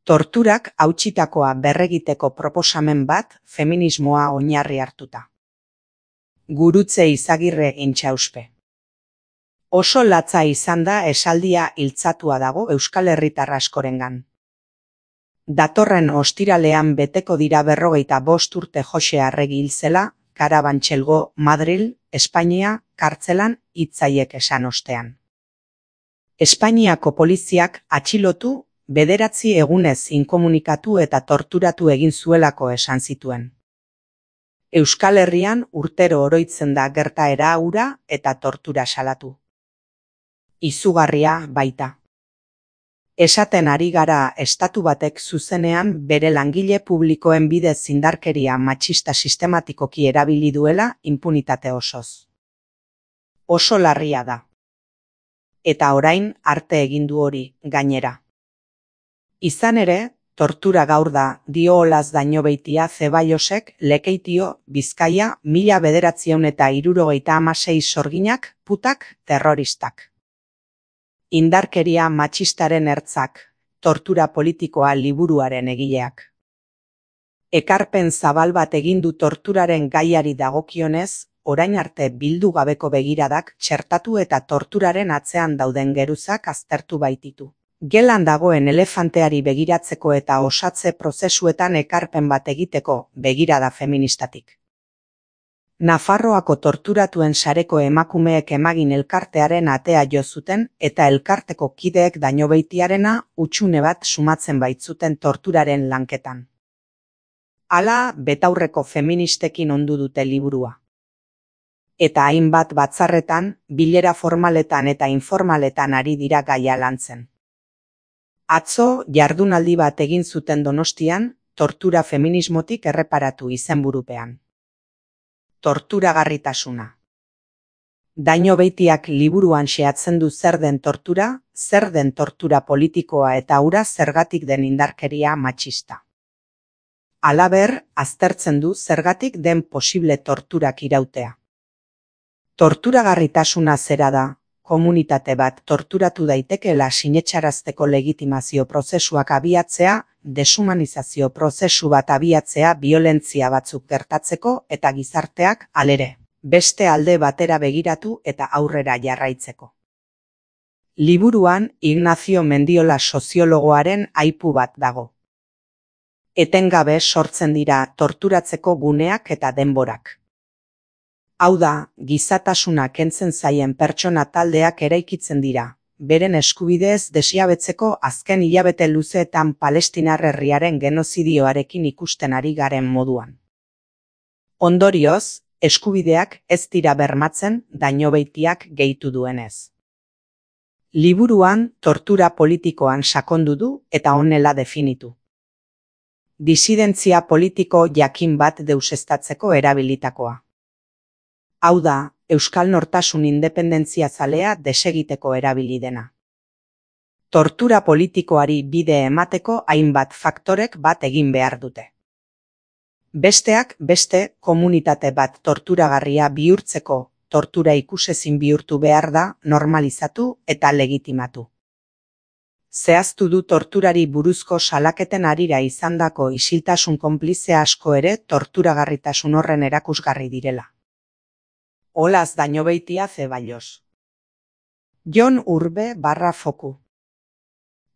Torturak hautsitakoa berregiteko proposamen bat feminismoa oinarri hartuta. Gurutze Izagirre Intxauspe. Oso latza izan da esaldia iltzatua dago Euskal Herritar askorengan. Datorren ostiralean beteko dira 45 urte Joxe Arregi hil zela, Karabantxelgo, Madril, Espainia, kartzelan hitzaiek esan ostean. Espainiako poliziak atxilotu, 9 egunez inkomunikatu eta torturatu egin zuelako esan zituen. Euskal Herrian urtero oroitzen da gertaera hura eta tortura salatu. Izugarria baita. Esaten ari gara estatu batek zuzenean bere langile publikoen bidez indarkeria matxista sistematikoki erabili duela inpunitate osoz. Oso larria da. Eta orain arte egin du hori, gainera. Izan ere, tortura gaur da, dio Olaz Dañobeitia Zebaiosek Lekeitio, Bizkaia, 1976 sorginak, putak, terroristak. Indarkeria matxistaren ertzak, tortura politikoa liburuaren egileak. Ekarpen zabal bat egin du torturaren gaiari dagokionez, orain arte bildu gabeko begiradak txertatu eta torturaren atzean dauden geruzak aztertu baititu. Gelan dagoen elefanteari begiratzeko eta osatze prozesuetan ekarpen bat egiteko begirada feministatik. Nafarroako torturatuen sareko emakumeek emagin elkartearen atea jo zuten eta elkarteko kideek Dañobeitiarena hutsune bat sumatzen baitzuten torturaren lanketan. Hala, betaurreko feministekin ondu dute liburua. Eta hainbat batzarretan, bilera formaletan eta informaletan ari dira gaia lantzen. Atzo, jardunaldi bat egin zuten Donostian, tortura feminismotik erreparatu izenburupean. Torturagarritasuna. Dañobeitiak liburuan xehatzen du zer den tortura politikoa eta hura zergatik den indarkeria matxista. Halaber, aztertzen du zergatik den posible torturak irautea. Torturagarritasuna zera da, komunitate bat torturatu daitekeela sinetxarazteko legitimazio prozesuak abiatzea, deshumanizazio prozesu bat abiatzea biolentzia batzuk gertatzeko eta gizarteak, halere, beste alde batera begiratu eta aurrera jarraitzeko. Liburuan Ignacio Mendiola soziologoaren aipu bat dago. Etengabe sortzen dira torturatzeko guneak eta denborak. Hau da, gizatasuna kentzen zaien pertsona taldeak eraikitzen dira, beren eskubideez desjabetzeko azken hilabete luzeetan Palestinar herriaren genozidioarekin ikusten ari garen moduan. Ondorioz, eskubideak ez dira bermatzen Dañobeitiak gehitu duenez. Liburuan tortura politikoan sakondu du eta honela definitu. Disidentzia politiko jakin bat deuseztatzeko erabilitakoa. Hau da, euskal nortasun independentzia zalea desegiteko erabili dena. Tortura politikoari bide emateko hainbat faktorek bat egin behar dute. Besteak beste komunitate bat torturagarria bihurtzeko tortura ikusezin bihurtu behar da normalizatu eta legitimatu. Zehaztu du torturari buruzko salaketen harira izandako isiltasun konplize asko ere torturagarritasun horren erakusgarri direla. Olaz Dañobeitia Zebaios. Jon Urbe /Foku.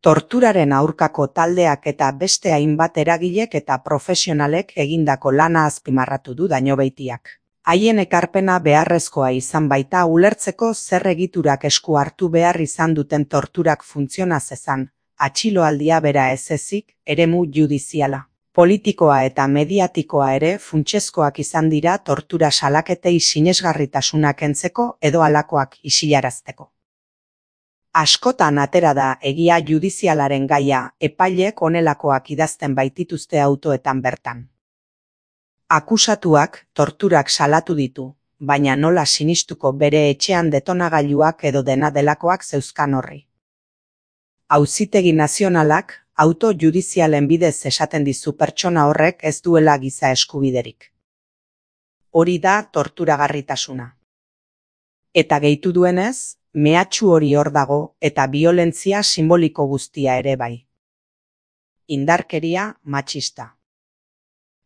Torturaren aurkako taldeak eta beste hainbat eragilek eta profesionalek egindako lana azpimarratu du Dañobeitiak. Haien ekarpena beharrezkoa izan baita ulertzeko zer egiturak esku hartu behar izan duten torturak funtziona zezan, atxiloaldia bera ez ezik, eremu judiziala. Politikoa eta mediatikoa ere funtsezkoak izan dira tortura salaketei sinesgarritasuna kentzeko edo halakoak isilarazteko. Askotan atera da egia judizialaren gaia epailek honelakoak idazten baitituzte autoetan bertan. Akusatuak torturak salatu ditu, baina nola sinistuko bere etxean detonagailuak edo dena delakoak zeuzkan horri. Auzitegi nazionalak auto judizialen bidez esaten dizu pertsona horrek ez duela giza eskubiderik. Hori da torturagarritasuna. Eta gehitu duenez, mehatxu hori hor dago eta biolentzia simboliko guztia ere bai. indarkeria, matxista.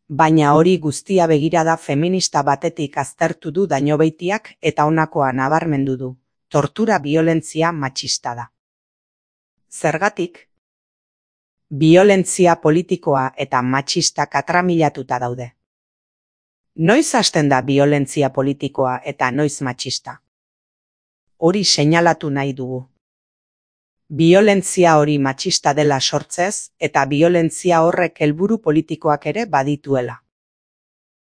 Baina hori guztia begirada feminista batetik aztertu du Dañobeitiak eta honakoa nabarmendu du: tortura biolentzia matxista da. Zergatik? Biolentzia politikoa eta matxista katramilatuta daude. Noiz hasten da biolentzia politikoa eta noiz matxista? Hori seinalatu nahi dugu. Biolentzia hori matxista dela sortzez eta biolentzia horrek helburu politikoak ere badituela.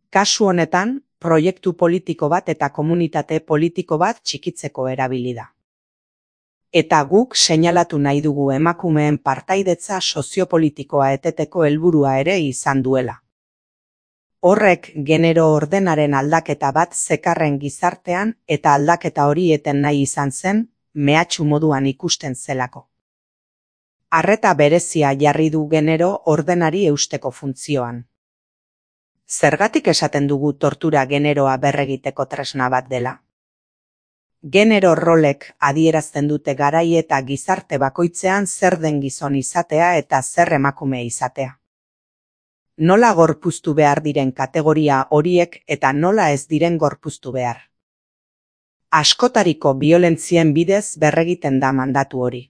Kasu honetan, proiektu politiko bat eta komunitate politiko bat txikitzeko erabili da. Eta guk seinalatu nahi dugu emakumeen partaidetza soziopolitikoa eteteko helburua ere izan duela. Horrek genero ordenaren aldaketa bat zekarren gizartean eta aldaketa hori eten nahi izan zen, mehatxu moduan ikusten zelako. Arreta berezia jarri du genero ordenari eusteko funtzioan. Zergatik esaten dugu tortura generoa berregiteko tresna bat dela? Genero rolek adierazten dute garai eta gizarte bakoitzean zer den gizon izatea eta zer emakume izatea. Nola gorpuztu behar diren kategoria horiek eta nola ez diren gorpuztu behar. Askotariko biolentzien bidez berregiten da mandatu hori.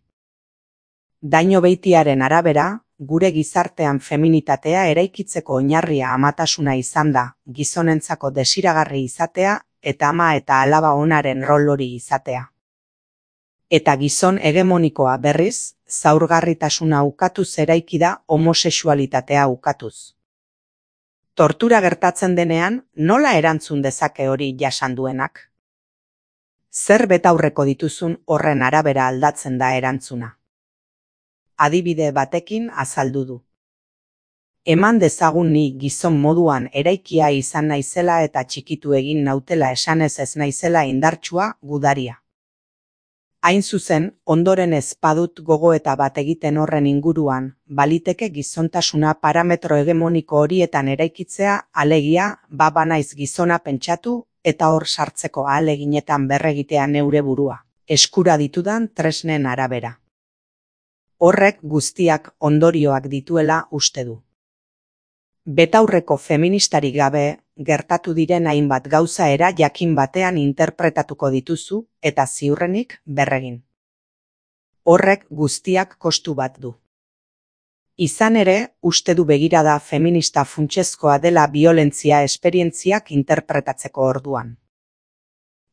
Dañobeitiaren arabera, gure gizartean feminitatea eraikitzeko oinarria amatasuna izan da, gizonentzako desiragarri izatea eta ama eta alaba onaren rol hori izatea. Eta gizon hegemonikoa berriz, zaurgarritasuna ukatuz eraiki da homosexualitatea ukatuz. Tortura gertatzen denean, nola erantzun dezake hori jasan duenak? Zer betaurreko dituzun horren arabera aldatzen da erantzuna. Adibide batekin azaldu du. Eman dezagun ni gizon moduan eraikia izan naizela eta txikitu egin nautela esanez ez naizela indartsua, gudaria. Hain zuzen, ondoren ez badut gogoeta bat egiten horren inguruan, baliteke gizontasuna parametro hegemoniko horietan eraikitzea, alegia, banaiz gizona pentsatu eta hor sartzeko ahaleginetan berregitea neure burua, eskura ditudan tresnen arabera. Horrek guztiak ondorioak dituela uste du. Betaurreko feministarik gabe, gertatu diren hainbat gauza era jakin batean interpretatuko dituzu eta ziurrenik berregin. Horrek guztiak kostu bat du. Izan ere, uste du begirada feminista funtsezkoa dela biolentzia esperientziak interpretatzeko orduan.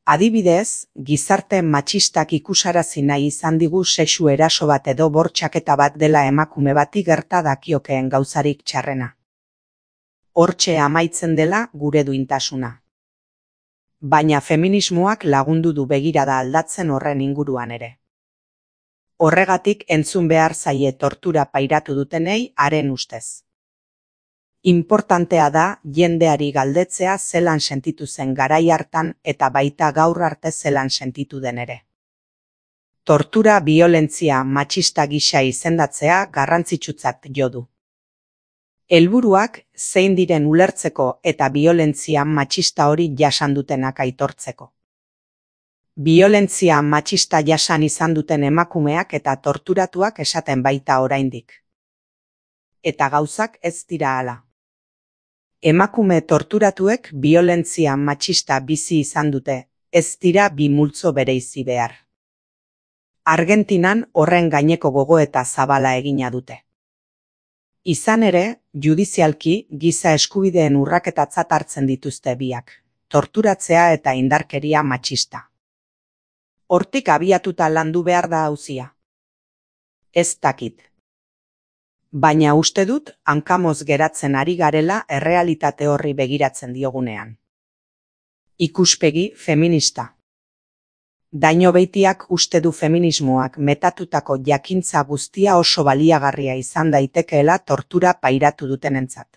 Adibidez, gizarte matxistak ikusarazi nahi izan digu sexu eraso bat edo bortxaketa bat dela emakume bati gerta dakiokeen gauzarik txarrena. Hortxe amaitzen dela gure duintasuna. Baina feminismoak lagundu du begirada aldatzen horren inguruan ere. Horregatik entzun behar zaie tortura pairatu dutenei haren ustez. Inportantea da jendeari galdetzea zelan sentitu zen garai hartan eta baita gaur arte zelan sentitu den ere. Tortura biolentzia matxista gisa izendatzea garrantzitsutzat jo du. Helburuak zein diren ulertzeko eta biolentzia matxista hori jasan dutenak aitortzeko. Biolentzia matxista jasan izan duten emakumeak eta torturatuak esaten baita oraindik. Eta gauzak ez dira hala. Emakume torturatuek biolentzia matxista bizi izan dute, ez dira bi multzo bereizi behar. Argentinan horren gaineko gogoeta zabala egina dute. Izan ere, judizialki giza eskubideen urraketatzat hartzen dituzte biak, torturatzea eta indarkeria matxista. Hortik abiatuta landu behar da auzia. Ez dakit. Baina uste dut hankamoz geratzen ari garela errealitate horri begiratzen diogunean. Ikuspegi feminista. Dañobeitiak uste du feminismoak metatutako jakintza guztia oso baliagarria izan daitekeela tortura pairatu dutenentzat.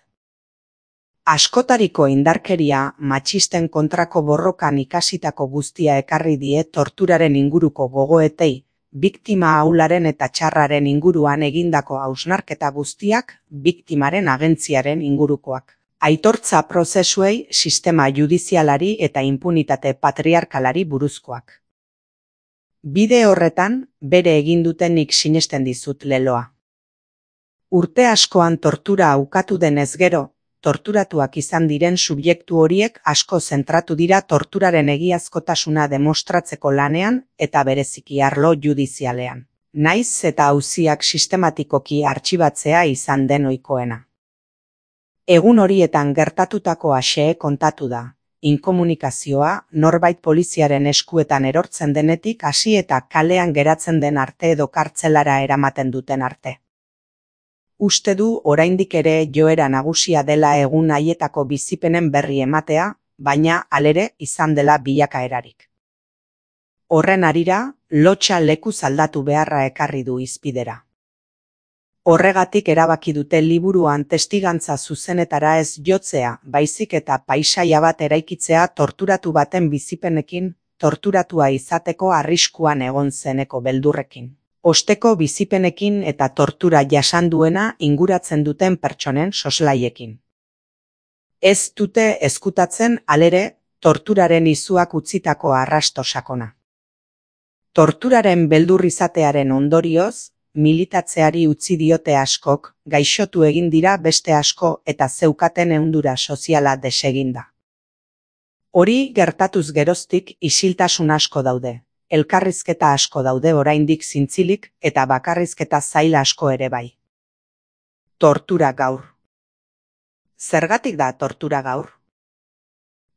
Askotariko indarkeria matxisten kontrako borrokan ikasitako guztia ekarri die torturaren inguruko gogoetei, biktima ahularen eta txarraren inguruan egindako hausnarketa guztiak biktimaren agentziaren ingurukoak. Aitortza prozesuei, sistema judizialari eta inpunitate patriarkalari buruzkoak. Bide horretan, bere egin dutenik sinesten dizut leloa. Urte askoan tortura ukatu denez gero, torturatuak izan diren subjektu horiek asko zentratu dira torturaren egiazkotasuna demostratzeko lanean eta bereziki arlo judizialean. Naiz eta auziak sistematikoki artxibatzea izan den ohikoena. Egun horietan gertatutakoa xehe kontatu da, inkomunikazioa norbait poliziaren eskuetan erortzen denetik hasi eta kalean geratzen den arte edo kartzelara eramaten duten arte. Uste du oraindik ere joera nagusia dela egun haietako bizipenen berri ematea, baina halere izan dela bilakaerarik. Horren harira, lotsa lekuz aldatu beharra ekarri du hizpidera. Horregatik erabaki dute liburuan testigantza zuzenetara ez jotzea, baizik eta paisaia bat eraikitzea torturatu baten bizipenekin, torturatua izateko arriskuan egon zeneko beldurrekin. Osteko bizipenekin eta tortura jasan duena inguratzen duten pertsonen soslaiekin. Ez dute ezkutatzen halere torturaren izuak utzitako arrasto sakona. Torturaren beldur izatearen ondorioz, militatzeari utzi diote askok, gaixotu egin dira beste asko eta zeukaten ehundura soziala deseginda. Hori gertatuz geroztik isiltasun asko daude. Elkarrizketa asko daude oraindik zintzilik eta bakarrizketa zail asko ere bai. Tortura gaur. Zergatik da tortura gaur?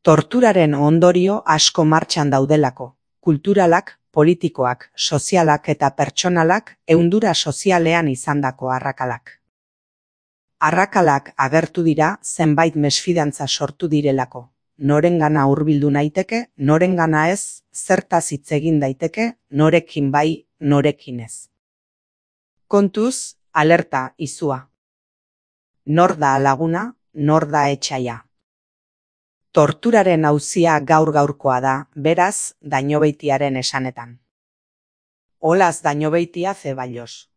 Torturaren ondorio asko martxan daudelako, kulturalak, politikoak, sozialak eta pertsonalak ehundura sozialean izandako arrakalak. Arrakalak agertu dira zenbait mesfidantza sortu direlako. Norengana hurbildu naiteke, norengana ez, zertaz hitz egin daiteke, norekin bai, norekin ez. Kontuz, alerta, izua. Nor da laguna, nor da etsaia. Torturaren auzia gaur-gaurkoa da, beraz, Dañobeitiaren esanetan. Olaz Dañobeitia Zeballos.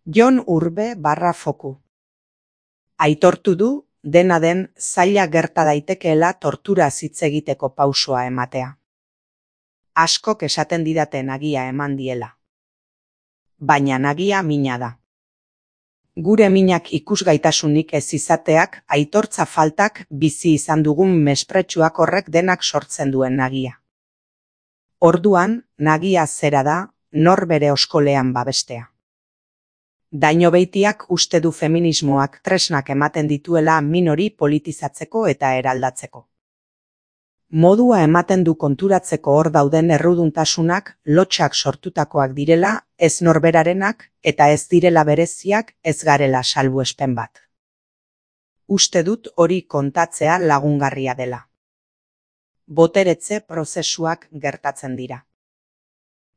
Jon Urbe /Foku. Aitortu du, dena den zaila gerta daitekeela tortura hitz egiteko pausoa ematea. Askok esaten didate nagia eman diela. Baina nagia mina da. Gure minak ikusgaitasunik ez izateak, aitortza faltak bizi izan dugun mespretsuak horrek denak sortzen duen nagia. Orduan, nagia zera da, nor bere oskolean babestea. Dañobeitiak uste du feminismoak tresnak ematen dituela min hori politizatzeko eta eraldatzeko. Modua ematen du konturatzeko hor dauden erruduntasunak lotsak sortutakoak direla, ez norberarenak eta ez direla bereziak, ez garela salbuespen bat. Uste dut hori kontatzea lagungarria dela. Boteretze prozesuak gertatzen dira.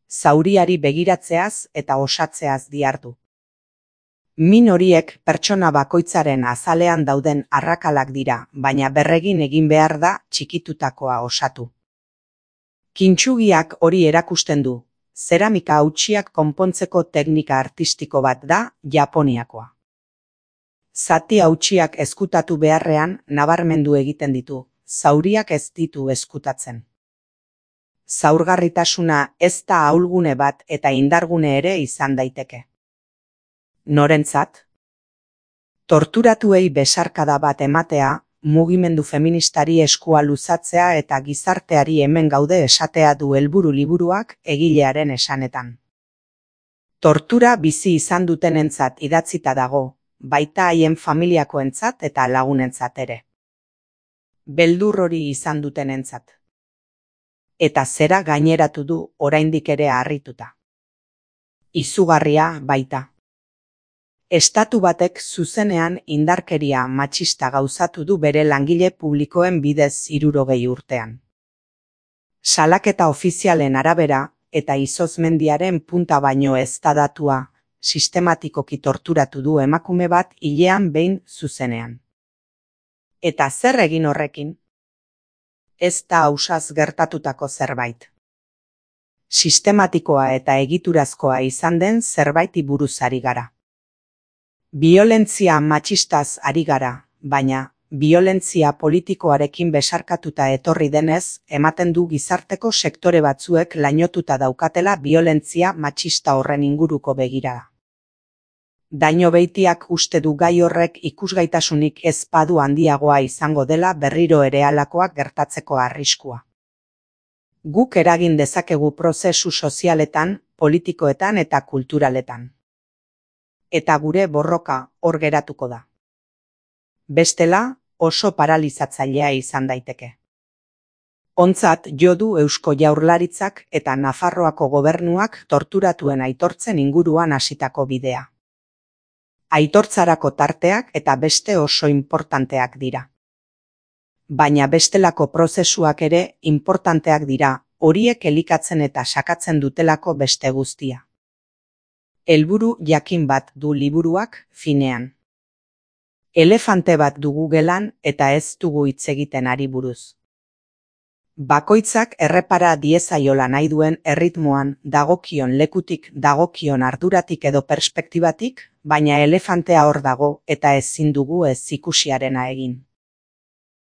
Zauriari begiratzeaz eta osatzeaz dihardu. Min horiek pertsona bakoitzaren azalean dauden arrakalak dira, baina berregin egin behar da txikitutakoa osatu. Kintsugiak hori erakusten du, zeramika hautsiak konpontzeko teknika artistiko bat da Japoniakoa. Zati hautsiak ezkutatu beharrean nabarmendu egiten ditu, zauriak ez ditu ezkutatzen. Zaurgarritasuna ez da ahulgune bat eta indargune ere izan daiteke. Norentzat? Torturatuei besarkada bat ematea, mugimendu feministari eskua luzatzea eta gizarteari hemen gaude esatea du helburu liburuak egilearen esanetan. Tortura bizi izan dutenentzat idatzita dago, baita haien familiakoentzat eta lagunentzat ere. Beldur hori izan dutenentzat. Eta zera gaineratu du oraindik ere harrituta. Izugarria baita. Estatu batek zuzenean indarkeria matxista gauzatu du bere langile publikoen bidez 60 urtean. Salaketa ofizialen arabera eta izozmendiaren punta baino ez da datua, sistematikoki torturatu du emakume bat hilean behin zuzenean. Eta zer egin horrekin? Ez da ausaz gertatutako zerbait. Sistematikoa eta egiturazkoa izan den zerbaiti buruz ari gara. Biolentzia matxistaz ari gara, baina biolentzia politikoarekin besarkatuta etorri denez, ematen du gizarteko sektore batzuek lainotuta daukatela biolentzia matxista horren inguruko begirada. Daño Beitiak uste du gai horrek ikusgaitasunik ez badu handiagoa izango dela berriro ere halakoak gertatzeko arriskua. Guk eragin dezakegu prozesu sozialetan, politikoetan eta kulturaletan. Eta gure borroka hor geratuko da. Bestela, oso paralizatzailea izan daiteke. Ontzat jo du Eusko Jaurlaritzak eta Nafarroako gobernuak torturatuen aitortzen inguruan hasitako bidea. Aitortzarako tarteak eta beste oso inportanteak dira. Baina bestelako prozesuak ere inportanteak dira, horiek elikatzen eta sakatzen dutelako beste guztia. Helburu jakin bat du liburuak, finean. Elefante bat dugu gelan eta ez dugu hitz egiten ari buruz. Bakoitzak errepara diezaiola nahi duen erritmoan, dagokion lekutik, dagokion arduratik edo perspektibatik, baina elefantea hor dago eta ezin dugu ez ikusiarena egin.